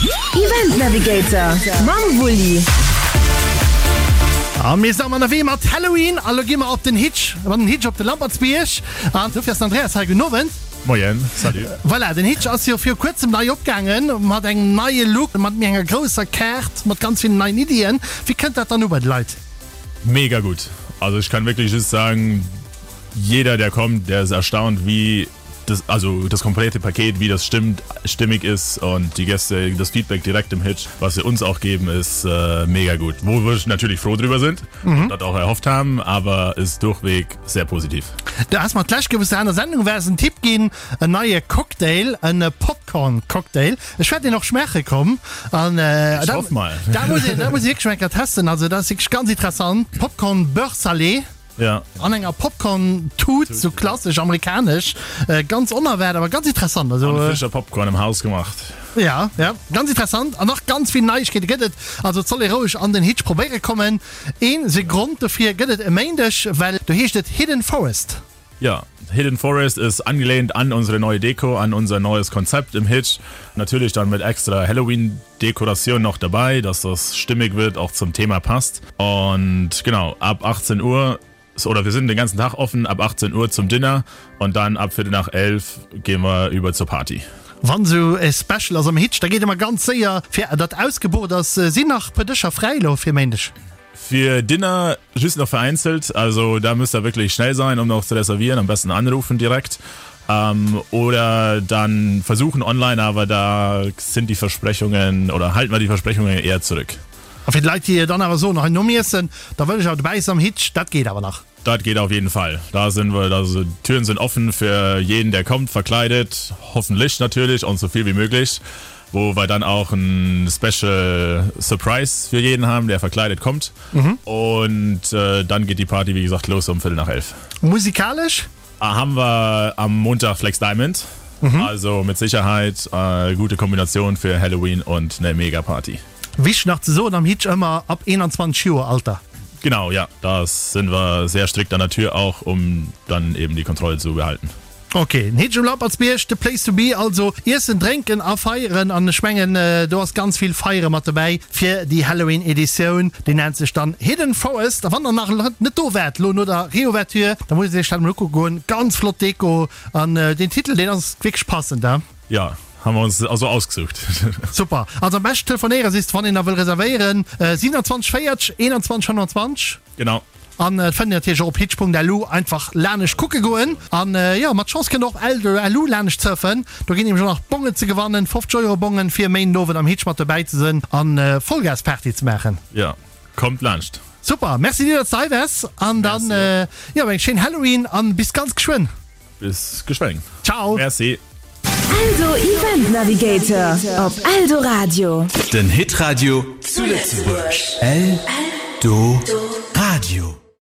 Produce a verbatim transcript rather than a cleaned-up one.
Event Navigator mam Wulli. A mir sinn ënnerwee mat Halloween a lo gi mer op den Hitch, mat den Hitch op de Lampertsbierg. An dofir ass den Andreas hei. Gudden Owend. Moien, salut. Voilà, den Hitch ass jo viru kuerzem nei opgaangen, mat engem neie Look, mat méi enger grousser Kaart, mat ganz villen neien Iddien. Wéi kënnt dat dann u bei de Leit? Mega gut. Also ich kann wirklich just sagen, jeder der kommt, der ist erstaunt, wie das, also das komplette Paket, wie das stimmt, stimmig ist und die Gäste, das Feedback direkt im Hitch, was sie uns auch geben, ist äh, mega gut. Wo wir natürlich froh drüber sind mhm. und das auch erhofft haben, aber ist durchweg sehr positiv. Du has mer d'lescht Kéier, wou s de an der Sendung waars, en Tipp ginn, en neie Cocktail, en Popcorn-Cocktail. Ech wäert deen och schmaache komm an äh, Ich hoff mal. Da muss een, da muss ee wierklech eng Kéier testen. Also dat ass wierklech ganz interessant. Popcorn Beurre salé. Ja. An enger Popcorn-Tut, sou klassesch amerikanesch. Ganz onerwaart, awer ganz interessant. Also, An frischer Popcorn im Haus gemacht. Ja, ja, ganz interessant. An nach ganz vill Neiegkeete gëtt et. Also et soll ee roueg an den Hitch probéiere kommen. Een se Grond dofir gëtt et e Méindeg, well do heescht et Hidden Forest. Ja, Hidden Forest ist angelehnt an unsere neue Deko, an unser neues Konzept im Hitch. Natürlich dann mit extra Halloween-Dekoration noch dabei, dass das stimmig wird, auch zum Thema passt. Und genau, ab achtzehn Uhr, oder wir sind den ganzen Tag offen, ab achtzehn Uhr zum Dinner und dann ab Viertel nach elf gehen wir über zur Party. Wann sou e Special ass am Hitch, da geet ëmmer ganz séier fir datt ausgebucht ass. Sinn nach puer Dëscher fräi elo fir Méindeg? Für Dinner just noch vereinzelt, also da müsst ihr wirklich schnell sein, um noch zu reservieren, am besten anrufen direkt. Ähm, oder dann versuchen online, aber da sind die Versprechungen oder halten wir die Versprechungen eher zurück. A fir d'Leit déi dann awer soen, hei nom Iessen, da wëll ech awer dobäi sinn am Hitch, dat geet awer nach? Dat geht auf jeden Fall. Da sind wir, also Türen sind offen für jeden, der kommt, verkleidet, hoffentlich natürlich und so viel wie möglich, wo wir dann auch ein Special Surprise für jeden haben, der verkleidet kommt. Mhm. Und äh, dann geht die Party, wie gesagt, los um Viertel nach elf. Musikalesch? Ah, haben wir am Montag Flex Diamond. Mhm. Also mit Sicherheit äh, gute Kombination für Halloween und eine Mega-Party. Wichteg nach ze soen, am Hitch ëmmer ab einundzwanzeg Joer Alter. Genau, ja, da sind wir sehr strikt an der Tür auch, um dann eben die Kontrolle zu behalten. Ok, den Hitch um Lampertsbierg, the place to be, also iessen, drénken a feieren an ech mengen do ass ganz vill feiere mat dobäi fir déi Halloween Editioun, déi nennt sech dann Hidden Forest a wann der nach net do waart lo no der Reouverture, da musst dir iech dat emol ukucke goen, ganz flott Deko an deen Titel deen ass wierklech passend, he? Ja, haben wir uns also ausgesucht. Super, also am beschten telefonéiere siehst wann een nach wëll reservéieren, siewenundzwanzeg véierzeg eenanzwanzeg fënnfanzwanzeg. Genau. An et fënnt een natierlech och op hitch Punkt L U, einfach lanescht kucke goen. An jo, mat Chance kënnt der och op L U lanescht surfen, do ginn nämlech och nach Bongen ze gewannen, fofzeg Euro Bongen fir e Méinden Owend am Hitch mat dobäi ze sënn an Vollgas Party ze maachen. Jo, kommt laanscht. Super, merci dir, datt s de hei waars an dann jo eng schéin Halloween an bis ganz geschwënn. Bis geschwënn. Ciao. Merci. Eldo Event Navigator op Eldoradio. Den Hitradio zu Lëtzebuerg. Eldoradio.